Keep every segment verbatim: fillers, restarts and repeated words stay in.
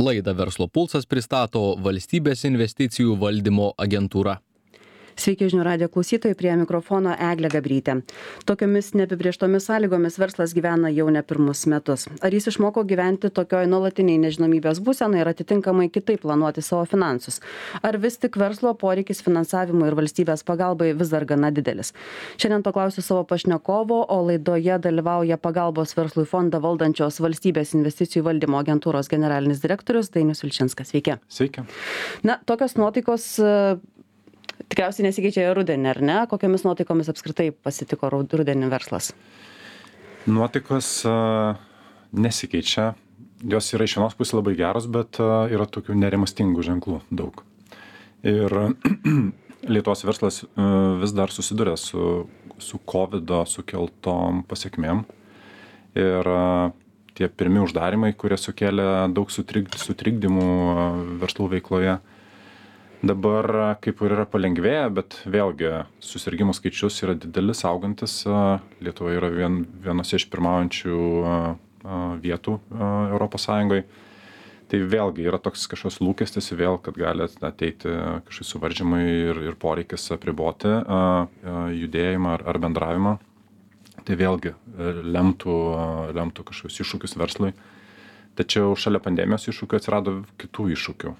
Laidą Verslo pulsas pristato Valstybės investicijų valdymo agentūra. Sveiki žinių radijo klausytojai, prie mikrofono Eglė Gabrytė. Tokiomis neapibrėžtomis sąlygomis verslas gyvena jau ne pirmus metus. Ar jis išmoko gyventi tokioj nuolatiniai nežinomybės būsenai ir atitinkamai kitaip planuoti savo finansus? Ar vis tik verslo poreikis finansavimui ir valstybės pagalbai vis dar gana didelis? Šiandien to klausiu savo pašnekovo, o laidoje dalyvauja pagalbos verslui fondą valdančios Valstybės investicijų valdymo agentūros generalinis direktorius Dainius Vilčinskas. Sveiki. Sveiki. Na, tokios nuotaikos tikriausiai nesikeičia rudenį, ar ne? Kokiamis nuotaikomis apskritai pasitiko rudenį verslas? Nuotaikos uh, nesikeičia. Jos yra iš vienos pusės labai geros, bet uh, yra tokių nerimastingų ženklų daug. Ir Lietuvos verslas uh, vis dar susiduria su, su kovido sukeltom pasiekmėm. Ir uh, tie pirmi uždarimai, kurie sukėlė daug sutrig, sutrikdymų uh, verslų veikloje, dabar kaip ir yra palengvėję, bet vėlgi susirgimų skaičius yra didelis, augantis. Lietuva yra vien, vienose iš pirmaujančių vietų Europos Sąjungoje. Tai vėlgi yra toks kažkoks lūkestis vėl, kad gali ateiti kažkokie suvaržymai ir, ir poreikis apriboti judėjimą ar, ar bendravimą. Tai vėlgi lemtų, lemtų kažkokius iššūkius verslui. Tačiau šalia pandemijos iššūkių atsirado kitų iššūkių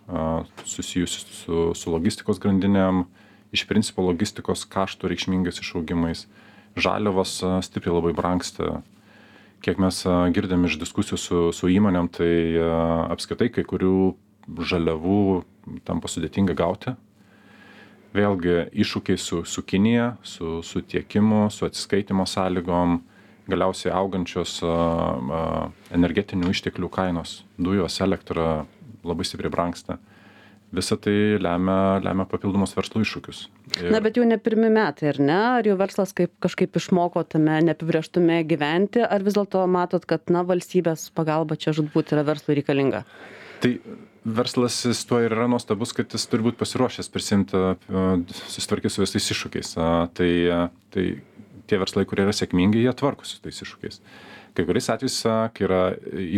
susijusių su, su logistikos grandinėm, iš principo logistikos kaštų reikšmingais išaugimais. Žaliavos stipriai labai brangsta. Kiek mes girdėm iš diskusijų su, su įmonėm, tai apskritai kai kurių žaliavų tampa sudėtinga gauti. Vėlgi iššūkiai su, su Kinija, su, su tiekimu, su atsiskaitimo sąlygom, galiausiai augančios a, a, energetinių išteklių kainos, dujos, elektra labai stipriai brangsta. Visa tai lemia, lemia papildomus verslo iššūkius. Ir... Na, bet jau ne pirmi metai, ar ne? Ar jau verslas kaip, kažkaip išmoko tame neapibrėžtume gyventi, ar vis dėlto matot, kad na, valstybės pagalba čia žudbūt yra verslui reikalinga? Tai verslas tuo ir yra nuostabus, kad jis turi būti pasiruošęs prisimti, susitvarkyti su visais iššūkiais. Tai, tai tie verslai, kurie yra sėkmingi, jie tvarkosi su tais iššūkiais. Kai kuriais atvejais, kai yra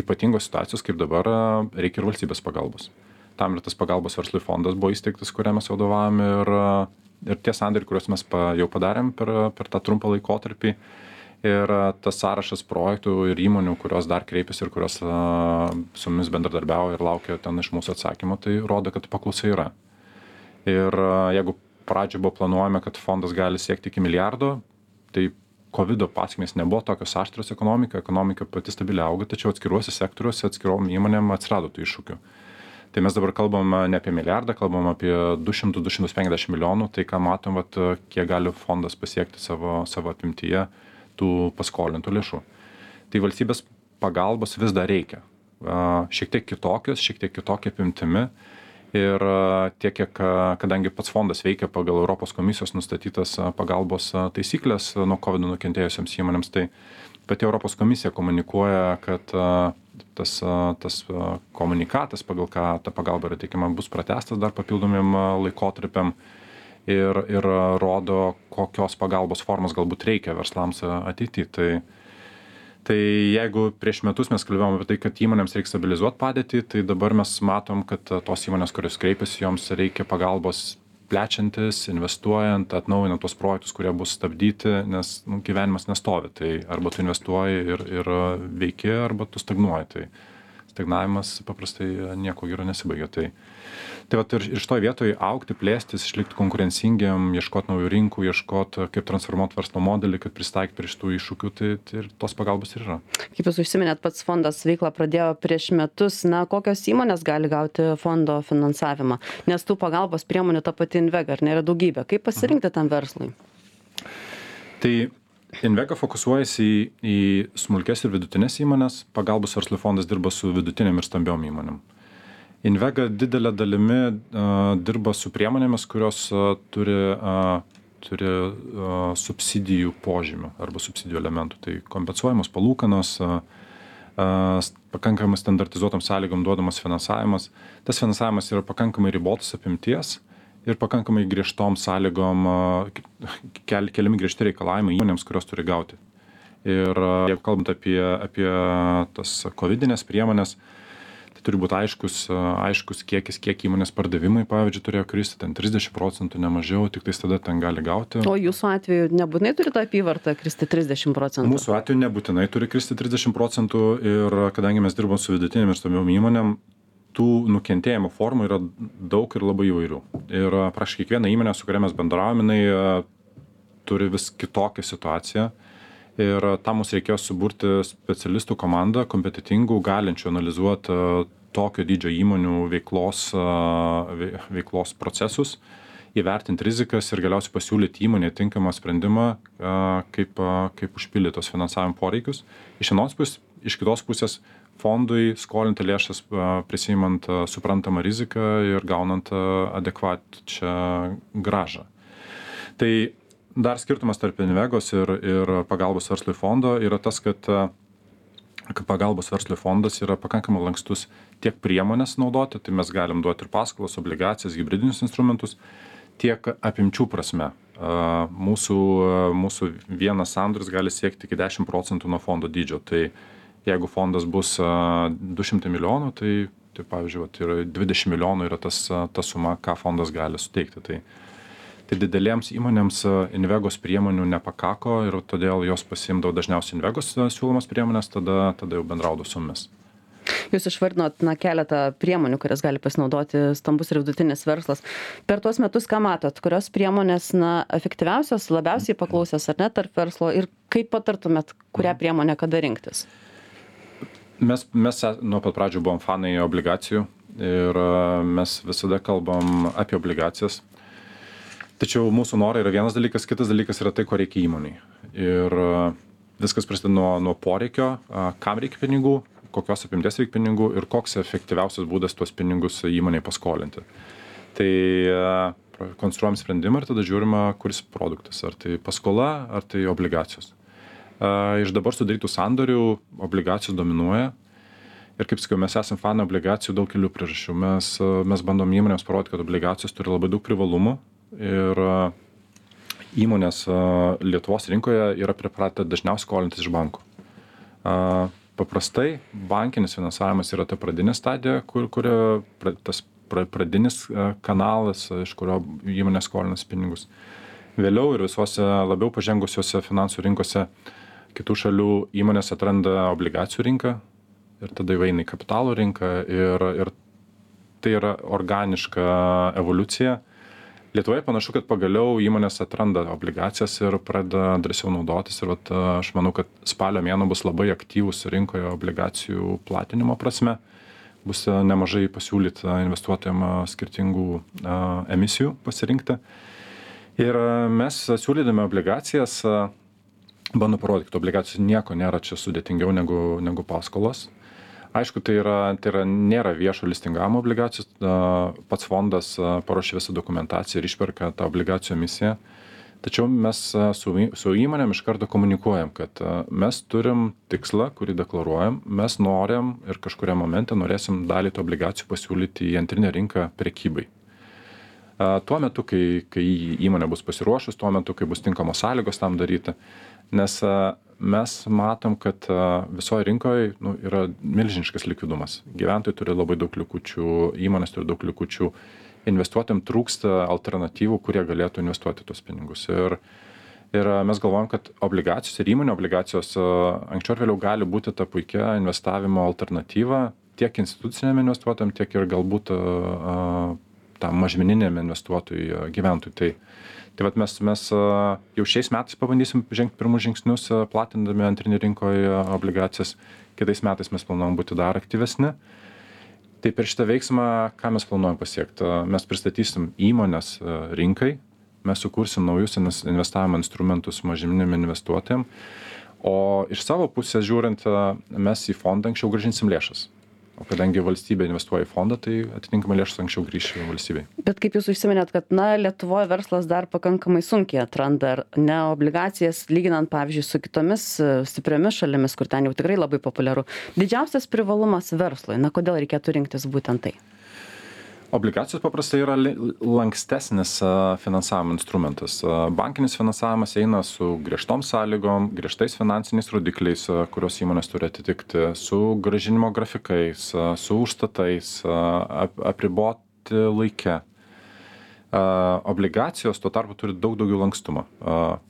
ypatingos situacijos, kaip dabar, reikia ir valstybės pagalbos. Tam ir tas pagalbos verslui fondas buvo įsteigtas, kurią mes vadovavom ir, ir tie sandėriai, kuriuos mes pa, jau padarėm per, per tą trumpą laikotarpį. Ir tas sąrašas projektų ir įmonių, kurios dar kreipiasi ir kurios su mumis bendradarbiauja ir laukia ten iš mūsų atsakymo, tai rodo, kad paklausa yra. Ir jeigu pradžioje buvo planuojama, kad fondas gali siekti iki milijardo, tai kovido pasekmės nebuvo tokios aštrios ekonomika, ekonomika pati stabiliai auga, tačiau atskiruose sektoriuose, atskirom įmonėm atsirado tų iššūkių. Tai mes dabar kalbam ne apie milijardą, kalbam apie du šimtus iki du šimtų penkiasdešimt milijonų, tai ką matom, vat, kiek gali fondas pasiekti savo, savo apimtyje tų paskolintų lėšų. Tai valstybės pagalbos vis dar reikia. Šiek tiek kitokios, šiek tiek kitokia apimtimi. Ir tiek, kiek, kadangi pats fondas veikia pagal Europos komisijos nustatytas pagalbos taisyklės nuo kovido nukentėjusiems įmonėms, tai pati Europos komisija komunikuoja, kad tas, tas komunikatas, pagal ką ta pagalba yra teikiama, bus pratęstas dar papildomiem laikotarpiam ir, ir rodo, kokios pagalbos formos galbūt reikia verslams ateityje. Tai Tai jeigu prieš metus mes kalbėjome apie tai, kad įmonėms reikia stabilizuoti padėtį, tai dabar mes matom, kad tos įmonės, kurios kreipiasi, joms reikia pagalbos plečiantis, investuojant, atnaujinant tuos projektus, kurie bus stabdyti, nes nu, gyvenimas nestovi. Tai arba tu investuoji ir, ir veiki, arba tu stagnuoji. Tai stagnavimas paprastai nieko gero nesibaigia. Tai, tai vat, ir iš to vietoje augti, plėstis, išlikti konkurencingiam, ieškoti naujų rinkų, ieškoti, kaip transformuoti verslo modelį, kad pristaikyti prie šitų iššūkių, tai, tai ir tos pagalbos ir yra. Kaip jūs užsiminėt, pats fondas veiklą pradėjo prieš metus. Na, kokios įmonės gali gauti fondo finansavimą? Nes tų pagalbos priemonių ta pati Invega, ar nėra daugybė? Kaip pasirinkti tam verslui? Tai Invega fokusuojasi į, į smulkes ir vidutinės įmonės, pagalbos verslui fondas dirba su vidutinėm ir stambiom įmonėm. Invega didelė dalimi uh, dirba su priemonėmis, kurios uh, turi, uh, turi uh, subsidijų požymių arba subsidijų elementų. Tai kompensuojamos palūkanos, uh, uh, pakankamai standartizuotom sąlygom duodamas finansavimas. Tas finansavimas yra pakankamai ribotos apimties ir pakankamai griežtom sąlygom, kel, keliami griežti reikalavimai įmonėms, kurios turi gauti. Ir jeigu kalbant apie, apie tas kovidinės priemonės, tai turi būt aiškus aiškus kiekis, kiek įmonės pardavimai, pavyzdžiui, turėjo kristi, ten trisdešim procentų, ne mažiau, tik tais tada ten gali gauti. O jūsų atveju nebūtinai turi tą apyvartą kristi trisdešim procentų? Mūsų atveju nebūtinai turi kristi trisdešim procentų ir kadangi mes dirbam su vidutinėm ir stambiom įmonėm, tų nukentėjimo formų yra daug ir labai įvairių. Ir praškai kiekviena įmonė, su kuria mes bendraujame, jinai turi vis kitokią situaciją. Ir tam mums reikėjo suburti specialistų komandą, kompetitingų, galinčių analizuoti tokio dydžio įmonių veiklos, veiklos procesus, įvertinti rizikas ir galiausiai pasiūlyti įmonėje tinkamą sprendimą, kaip, kaip užpildyti tos finansavimo poreikius. Iš vienos pusės, iš kitos pusės fondui skolinti lėšas, prisimant suprantamą riziką ir gaunant adekvačią grąžą. Tai dar skirtumas tarp Invegos ir, ir pagalbos verslui fondo yra tas, kad, kad pagalbos verslui fondas yra pakankamai lankstus tiek priemonės naudoti, tai mes galim duoti ir paskolas, obligacijas, hybridinius instrumentus, tiek apimčių prasme. Mūsų, mūsų vienas sandoris gali siekti iki dešim procentų nuo fondo dydžio. Tai jeigu fondas bus du šimtai milijonų, tai, tai pavyzdžiui, vat, yra dvidešim milijonų yra tas, ta suma, ką fondas gali suteikti. Tai, tai didelėms įmonėms Invegos priemonių nepakako ir todėl jos pasiimdavo dažniausiai Invegos siūlomas priemonės, tada, tada jau bendraudavo su mumis. Jūs išvardinot na, keletą priemonių, kurias gali pasinaudoti stambus ir vidutinis verslas. Per tuos metus, ką matot, kurios priemonės na, efektyviausios, labiausiai paklausios ar ne tarp verslo ir kaip patartumėt, kurią priemonę kada rinktis? Mes, mes nuo pat pradžių buvom fanai obligacijų ir mes visada kalbam apie obligacijas. Tačiau mūsų norai yra vienas dalykas, kitas dalykas yra tai, ko reikia įmoniai. Ir viskas prasideda nuo, nuo poreikio, kam reikia pinigų, kokios apimties reikia pinigų ir koks efektyviausias būdas tuos pinigus įmoniai paskolinti. Tai konstruojam sprendimą ir tada žiūrime, kuris produktas, ar tai paskola, ar tai obligacijos. Iš dabar sudarytų sandorių obligacijos dominuoja. Ir kaip sakiau, mes esame fanai obligacijų daug kelių priežasčių. Mes, mes bandom įmonėms parodyti, kad obligacijos turi labai daug privalumų. Ir įmonės Lietuvos rinkoje yra pripratę dažniausiai skolintis iš bankų. Paprastai bankinis finansavimas yra ta pradinė stadija, kur, kurio tas pradinis kanalas, iš kurio įmonė skolinasi pinigus. Vėliau ir visose labiau pažengusiuose finansų rinkose kitų šalių įmonės atranda obligacijų rinką ir tada įeina į kapitalo rinką ir, ir tai yra organiška evoliucija. Lietuvoje panašu, kad pagaliau įmonės atranda obligacijas ir pradeda drąsiau naudotis. Ir vat, aš manau, kad spalio mėnuo bus labai aktyvus rinkoje obligacijų platinimo prasme. Bus nemažai pasiūlyta investuotojams skirtingų a, emisijų pasirinkti. Ir mes siūlydami obligacijas bandome parodyti, kad obligacijos nieko nėra čia sudėtingiau negu, negu paskolos. Aišku, tai, yra, tai yra, nėra viešo listingavimo obligacijos, pats fondas paruošia visą dokumentaciją ir išperka tą obligacijų emisiją. Tačiau mes su, su įmonėm iš karto komunikuojam, kad mes turim tikslą, kurį deklaruojam, mes norim ir kažkuriam momente norėsim dalį tų obligacijų pasiūlyti į antrinę rinką prekybai. Tuo metu, kai, kai įmonė bus pasiruošus, tuo metu, kai bus tinkamos sąlygos tam daryti, nes mes matom, kad visoje rinkoje nu, yra milžiniškas likvidumas. Gyventojai turi labai daug likučių, įmonės turi daug likučių, investuotojams trūksta alternatyvų, kurie galėtų investuoti tuos pinigus. Ir, ir mes galvojam, kad obligacijos ir įmonių obligacijos anksčiau ir vėliau gali būti ta puikia investavimo alternatyva tiek instituciniam investuotojam, tiek ir galbūt tam mažmeniniam investuotojui gyventojui. Tai, tai vat mes, mes jau šiais metais pabandysim žengti pirmus žingsnius, platindami antrinį rinkoje obligacijas. Kitais metais mes planuojam būti dar aktyvesni. Tai per šitą veiksmą, ką mes planuojam pasiekti? Mes pristatysim įmonės rinkai, mes sukursim naujus investavimo instrumentus mažmeniniam investuotojam, o iš savo pusės žiūrint, mes į fondą anksčiau grąžinsim lėšas. O kadangi valstybė investuoja į fondą, tai atitinkamai lėšas anksčiau grįš valstybei. Bet kaip jūs užsiminėt, kad na, Lietuvoje verslas dar pakankamai sunkiai atranda ne obligacijas, lyginant, pavyzdžiui, su kitomis stipriomis šalimis, kur ten jau tikrai labai populiaru. Didžiausias privalumas verslui, na kodėl reikėtų rinktis būtent tai? Obligacijos paprastai yra lankstesnis finansavimo instrumentas. Bankinis finansavimas eina su griežtom sąlygom, griežtais finansiniais rodikliais, kurios įmonės turi atitikti, su grąžinimo grafikais, su užstatais, apriboti laike. Obligacijos tuo tarpu turi daug daugiau lankstumo.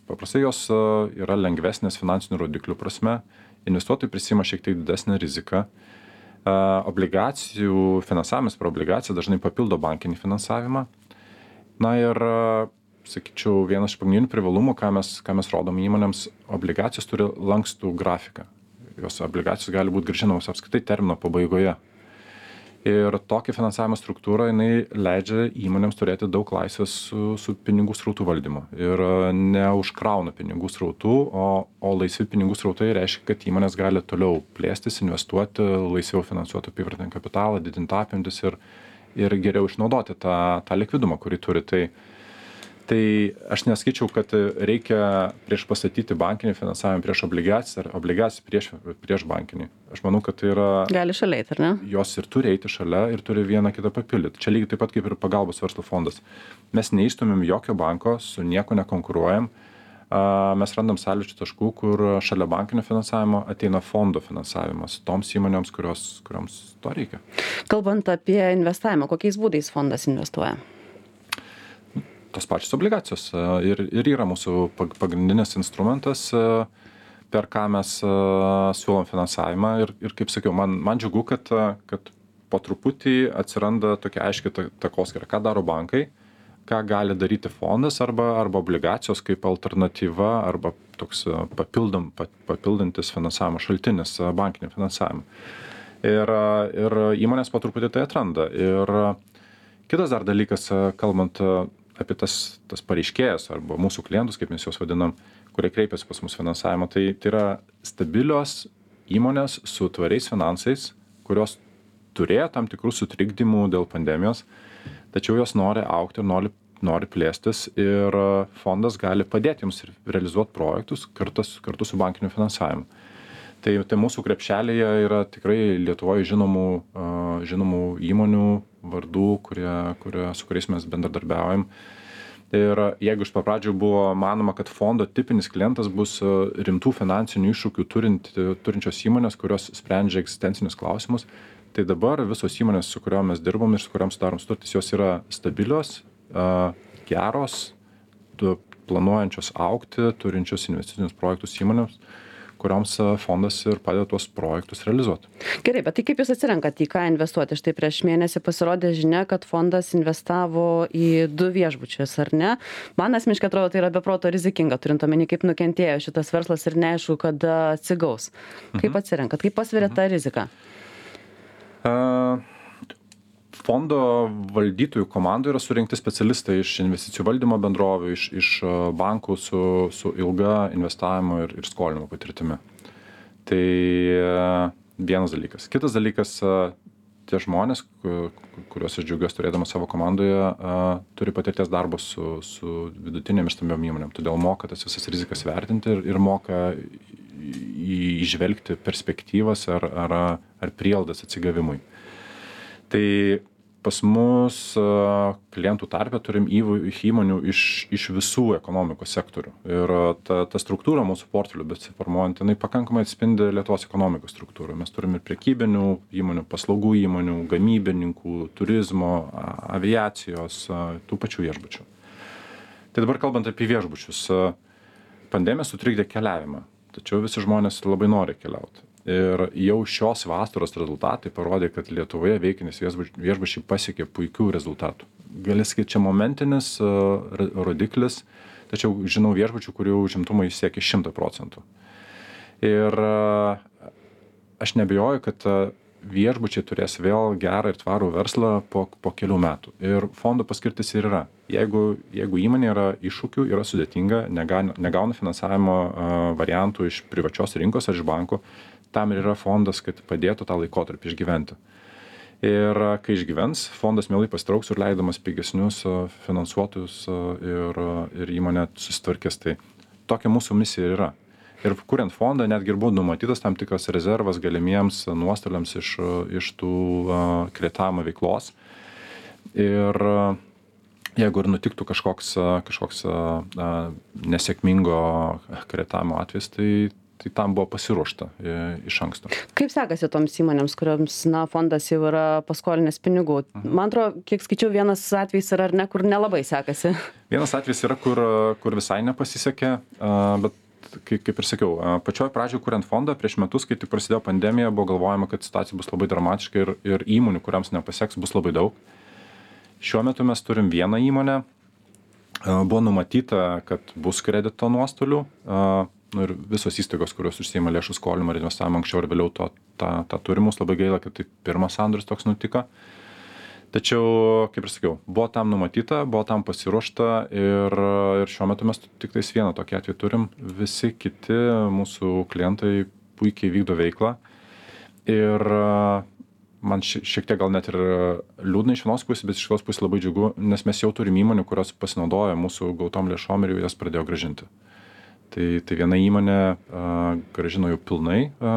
Paprastai jos yra lengvesnės finansinių rodiklių prasme, investuotojai prisima šiek tiek didesnę riziką. Obligacijų finansavimas per obligaciją dažnai papildo bankinį finansavimą. Na ir, sakyčiau, vienas iš pagrindinių privalumų, ką mes, ką mes rodom įmonėms, obligacijos turi lankstų grafiką. Jos obligacijos gali būti grąžinamos apskritai termino pabaigoje. Ir tokia finansavimo struktūra, jinai leidžia įmonėms turėti daug laisvės su, su pinigų srautų valdymu. Ir neužkrauna pinigų srautų, o, o laisvi pinigų srautai reiškia, kad įmonės gali toliau plėstis, investuoti, laisviau finansuoti apyvartinį kapitalą, didinti apimtis ir, ir geriau išnaudoti tą, tą likvidumą, kurį turi. Tai, tai aš nesakyčiau, kad reikia prieš pastatyti bankinį finansavimą prieš obligacijas ar obligacijas prieš, prieš bankinį. Aš manau, kad tai yra... Gali šalia eiti, ar ne? Jos ir turi eiti šalia ir turi vieną kitą papildyti. Čia lygiai taip pat kaip ir pagalbos verslo fondas. Mes neįstumėm jokio banko, su nieko nekonkuruojam. Mes randam sąlyčio taškų, kur šalia bankinio finansavimo ateina fondo finansavimas toms įmonėms, kurios, kurioms to reikia. Kalbant apie investavimą, kokiais būdais fondas investuoja? Tos pačios obligacijos ir, ir yra mūsų pagrindinis instrumentas, per ką mes siūlom finansavimą ir, ir kaip sakiau, man, man džiugu, kad, kad po truputį atsiranda tokia aiški takoskyra, ką daro bankai, ką gali daryti fondas arba, arba obligacijos kaip alternatyva arba toks papildom, papildantis finansavimo šaltinis bankinį finansavimą. Ir, ir įmonės po truputį tai atranda. Ir kitas dar dalykas, kalbant apie tas, tas pareiškėjas arba mūsų klientus, kaip mes juos vadinam, kurie kreipiasi pas mus finansavimo, tai, tai yra stabilios įmonės su tvariais finansais, kurios turėjo tam tikrų sutrikdymų dėl pandemijos, tačiau jos nori augti ir nori, nori plėstis ir fondas gali padėti jums realizuoti projektus kartu, kartu su bankiniu finansavimu. Tai, tai mūsų krepšelėje yra tikrai Lietuvoje žinomų, žinomų įmonių vardų, kurie, kurie, su kuriais mes bendradarbiaujam. Ir jeigu iš pradžių buvo manoma, kad fondo tipinis klientas bus rimtų finansinių iššūkių turint, turinčios įmonės, kurios sprendžia egzistencinius klausimus, tai dabar visos įmonės, su kuriuom mes dirbam ir su kuriuom sudarom sutartis, jos yra stabilios, geros, planuojančios augti, turinčios investicinius projektus įmonėms, kurioms fondas ir padeda tuos projektus realizuoti. Gerai, bet tai kaip jūs atsirenkat, į ką investuoti? Štai prieš mėnesį pasirodė žinia, kad fondas investavo į du viešbučius, ar ne? Man asmeniškai atrodo, tai yra beproto rizikinga, turint omeny, kaip nukentėjo šitas verslas ir neaišku, kada atsigaus. Kaip mhm. atsirenkat, kaip pasveria mhm. tą riziką? Uh... Fondo valdytojų komandų yra surinkti specialistai iš investicijų valdymo bendrovių, iš, iš bankų su, su ilga investavimo ir, ir skolinimo patirtimi. Tai vienas dalykas. Kitas dalykas, tie žmonės, kuriuos aš džiaugiuosi turėdamas savo komandoje, turi patirties darbo su, su vidutinėm ir stambiom įmonėm. Todėl moka tas visas rizikas vertinti ir, ir moka įžvelgti perspektyvas ar, ar, ar prielaidas atsigavimui. Tai pas mus klientų tarpe turim įmonių iš, iš visų ekonomikos sektorių. Ir ta, ta struktūra mūsų portfelių besiformuojant, jinai pakankamai atspindi Lietuvos ekonomikos struktūrą. Mes turim ir prekybinių įmonių, paslaugų įmonių, gamybininkų, turizmo, aviacijos, tų pačių viešbučių. Tai dabar kalbant apie viešbučius, pandemija sutrikdė keliavimą, tačiau visi žmonės labai nori keliauti. Ir jau šios vasaros rezultatai parodė, kad Lietuvoje veikiantys viešbučiai pasiekė puikių rezultatų. Gali sakyti, čia momentinis rodiklis, tačiau žinau viešbučių, kurių užimtumai siekia šimtą procentų. Ir aš neabejoju, kad viešbučiai turės vėl gerą ir tvarų verslą po, po kelių metų. Ir fondo paskirtis ir yra. Jeigu, jeigu įmonė yra iššūkių, yra sudėtinga, negauna, negauna finansavimo variantų iš privačios rinkos ar iš bankų, tam ir yra fondas, kad padėtų tą laikotarpį išgyventi. Ir kai išgyvens, fondas mielai pasitrauks ir leidamas pigesnius finansuotojus ir, ir įmonė susitvarkės. Tai tokia mūsų misija yra. Ir kuriant fondą, netgi ir buvo numatytas tam tikras rezervas galimiems nuostoliams iš, iš tų kreditavimo veiklos. Ir jeigu ir nutiktų kažkoks, kažkoks nesėkmingo kreditavimo atvejis, tai, tai tam buvo pasiruošta iš anksto. Kaip sekasi toms įmonėms, kuriams na, fondas jau yra paskolinęs pinigų? Man atrodo, kiek skaičiau, vienas atvejis yra ar ne, kur nelabai sekasi. Vienas atvejis yra, kur, kur visai nepasisekė, bet kaip, kaip ir sakiau, pačioj pradžioje kuriant fondą prieš metus, kai tik prasidėjo pandemija, buvo galvojama, kad situacija bus labai dramatiška ir, ir įmonių, kuriams nepaseks, bus labai daug. Šiuo metu mes turim vieną įmonę, buvo numatyta, kad bus kredito nuostolių, nu ir visos įstaigos, kurios užsiima lėšų skolimą ir investavimą anksčiau ir vėliau to, tą, tą turimus, labai gaila, kad tai pirmas sandoris toks nutiko. Tačiau, kaip ir sakiau, buvo tam numatyta, buvo tam pasiruošta ir, ir šiuo metu mes tik tais vieną tokį atvejį turim, visi kiti mūsų klientai puikiai vykdo veiklą ir man šiek tiek gal net ir liūdna iš vienos pusės, bet iš kitos pusės labai džiugu, nes mes jau turim įmonių, kurios pasinaudoja mūsų gautom lėšom ir jau jas pradėjo grąžinti. Tai, tai viena įmonė a, grąžino jau pilnai a,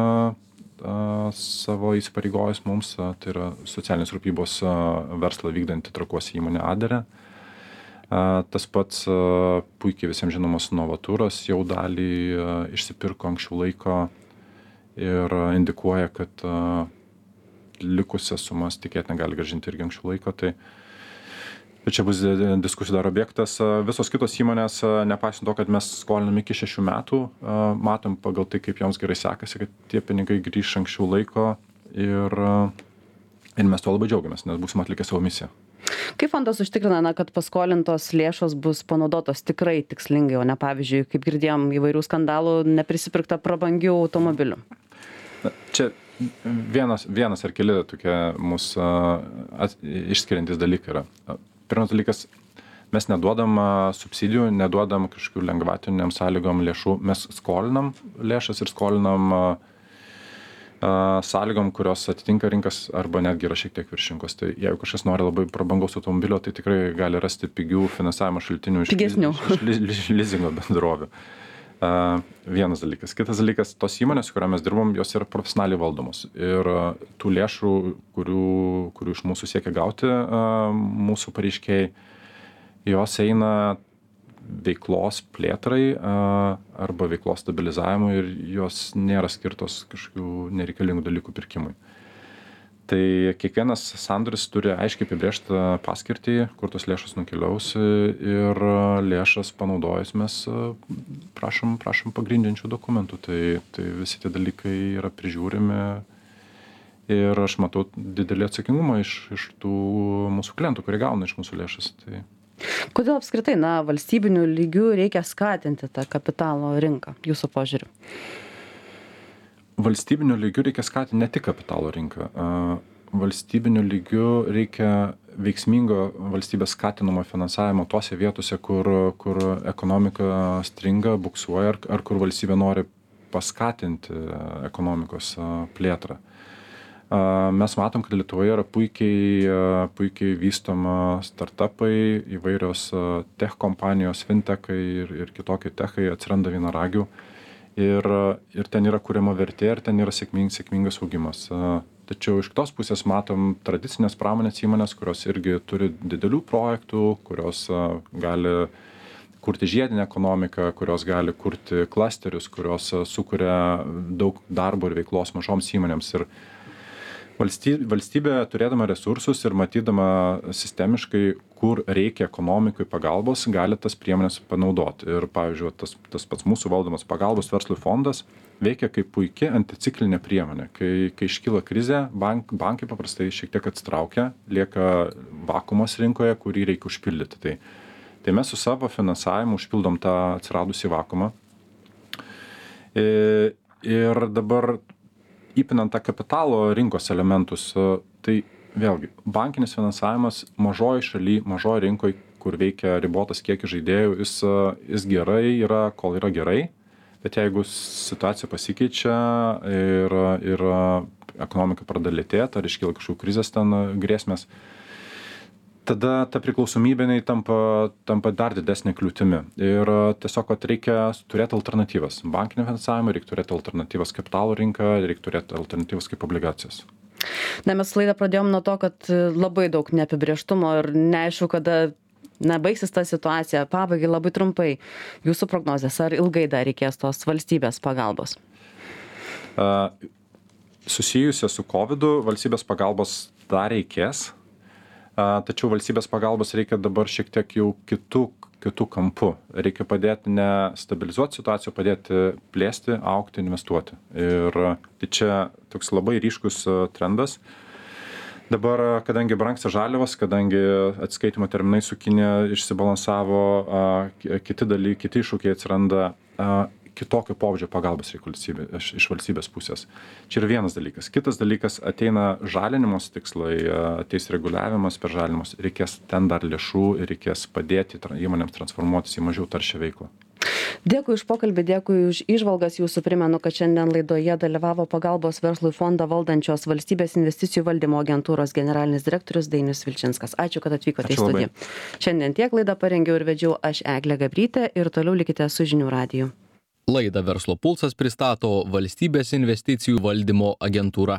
a, savo įsipareigojus mums, a, tai yra socialinės rūpybos a, verslą vykdanti Trakuose įmonė Aderė. A, tas pats a, puikiai visiems žinomas Novaturas jau dalį a, išsipirko anksčiau laiko ir a, indikuoja, kad a, likusias sumas tikėtina gali grąžinti irgi anksčiau laiko, tai čia bus diskusijų dar objektas. Visos kitos įmonės, nepaisant to, kad mes skolinam iki šešių metų, matom pagal tai, kaip joms gerai sekasi, kad tie pinigai grįš anksčiau laiko ir, ir mes tuo labai džiaugiamės, nes būsim atlikę savo misiją. Kaip fondas užtikrina, na, kad paskolintos lėšos bus panaudotos tikrai tikslingai, o ne pavyzdžiui, kaip girdėjom įvairių skandalų, neprisipirkta prabangių automobilių? Na, čia Vienas, vienas ar keli tokie mūsų at, išskiriantis dalykai yra. Pirmas dalykas, mes neduodam subsidijų, neduodam kažkokių lengvatiniam sąlygom lėšų, mes skolinam lėšas ir skolinam a, a, sąlygom, kurios atitinka rinkas arba netgi yra šiek tiek virš rinkos. Tai jeigu kažkas nori labai prabangaus automobilio, tai tikrai gali rasti pigių finansavimo šaltinių iš, iš, iš lizingo bendrovių. Uh, vienas dalykas. Kitas dalykas, tos įmonės, su kurią mes dirbam, jos yra profesionaliai valdomos. Ir uh, tų lėšų, kurių, kurių iš mūsų siekia gauti uh, mūsų pareiškėjai, jos eina veiklos plėtrai uh, arba veiklos stabilizavimui ir jos nėra skirtos kažkokių nereikalingų dalykų pirkimui. Tai kiekvienas sandoris turi aiškiai apibrėžtą paskirtį, kur tos lėšos nukeliaus ir lėšas panaudojus mes prašom, prašom pagrindinčių dokumentų. Tai, tai visi tie dalykai yra prižiūrimi ir aš matau didelį atsakingumą iš, iš tų mūsų klientų, kurie gauna iš mūsų lėšas. Tai... Kodėl apskritai, na, valstybinių lygių reikia skatinti tą kapitalo rinką, jūsų požiūriu? Valstybiniu lygiu reikia skatinti ne tik kapitalo rinką. Valstybiniu lygiu reikia veiksmingo valstybės skatinamo finansavimo tose vietose, kur, kur ekonomika stringa, buksuoja ar, ar kur valstybė nori paskatinti ekonomikos plėtrą. Mes matom, kad Lietuvoje yra puikiai, puikiai vystoma startupai, įvairios tech kompanijos, fintechai ir, ir kitokie techai atsiranda vienaragių. Ir, ir ten yra kuriama vertė, ir ten yra sėkming, sėkmingas augimas. Tačiau iš kitos pusės matom tradicinės pramonės įmonės, kurios irgi turi didelių projektų, kurios gali kurti žiedinę ekonomiką, kurios gali kurti klasterius, kurios sukuria daug darbo ir veiklos mažoms įmonėms. Ir valstybė, valstybė turėdama resursus ir matydama sistemiškai, kur reikia ekonomikai pagalbos, gali tas priemonės panaudoti. Ir, pavyzdžiui, tas, tas pats mūsų valdomas pagalbos verslui fondas veikia kaip puikia anticiklinė priemonė. Kai, kai iškyla krizė, bank, bankai paprastai šiek tiek atsitraukia, lieka vakuumas rinkoje, kurį reikia užpildyti. Tai, tai mes su savo finansavimu užpildom tą atsiradusį vakuumą. Ir, ir dabar įpinant tą kapitalo rinkos elementus, tai vėlgi, bankinis finansavimas mažoj šaly, mažoj rinkoj, kur veikia ribotas kiekis žaidėjų, jis, jis gerai yra, kol yra gerai, bet jeigu situacija pasikeičia ir, ir ekonomika pradeda lėtėti, ar iškyla kažkokių krizės ten grėsmės, tada ta priklausomybė tampa, tampa dar didesnė kliūtimi. Ir tiesiog, kad reikia turėti alternatyvas. Bankinio finansavimo reikia turėti alternatyvas kapitalo rinką, reikia turėti alternatyvas kaip obligacijas. Na, mes laidą pradėjom nuo to, kad labai daug neapibrėžtumo ir neaišku, kada na, baigsis ta situacija. Pabaigai labai trumpai. Jūsų prognozės, ar ilgai dar reikės tos valstybės pagalbos? Uh, susijusia su kovidu valstybės pagalbos dar reikės, uh, tačiau valstybės pagalbos reikia dabar šiek tiek jau kitų kitų kampų. Reikia padėti ne stabilizuoti situaciją, padėti plėsti, augti, investuoti. Ir tai čia toks labai ryškus trendas. Dabar, kadangi brangsta žaliavos, kadangi atskaitimo terminai su Kinija išsibalansavo, kiti dalykai, kiti iššūkiai atsiranda, kitokio pobūdžio pagalbos reikia valstybė, iš, iš valstybės pusės. Čia yra vienas dalykas. Kitas dalykas, ateina žalinimos tikslai, ateis reguliavimas per žalinimus, reikės ten dar lėšų ir reikės padėti įmonėms transformuotis į mažiau taršią veiklą. Dėkui už pokalbį, dėkui už įžvalgas. Jūsų primenu, kad šiandien laidoje dalyvavo pagalbos verslui fondą valdančios Valstybės investicijų valdymo agentūros generalinis direktorius Dainius Vilčinskas. Ačiū, kad atvykote į studiją. Šiandien tiek laidą parengiau ir vedžiau aš Eglė Gabrytė ir toliau likite su Žinių radiju. Laidą Verslo pulsas pristato Valstybės investicijų valdymo agentūra.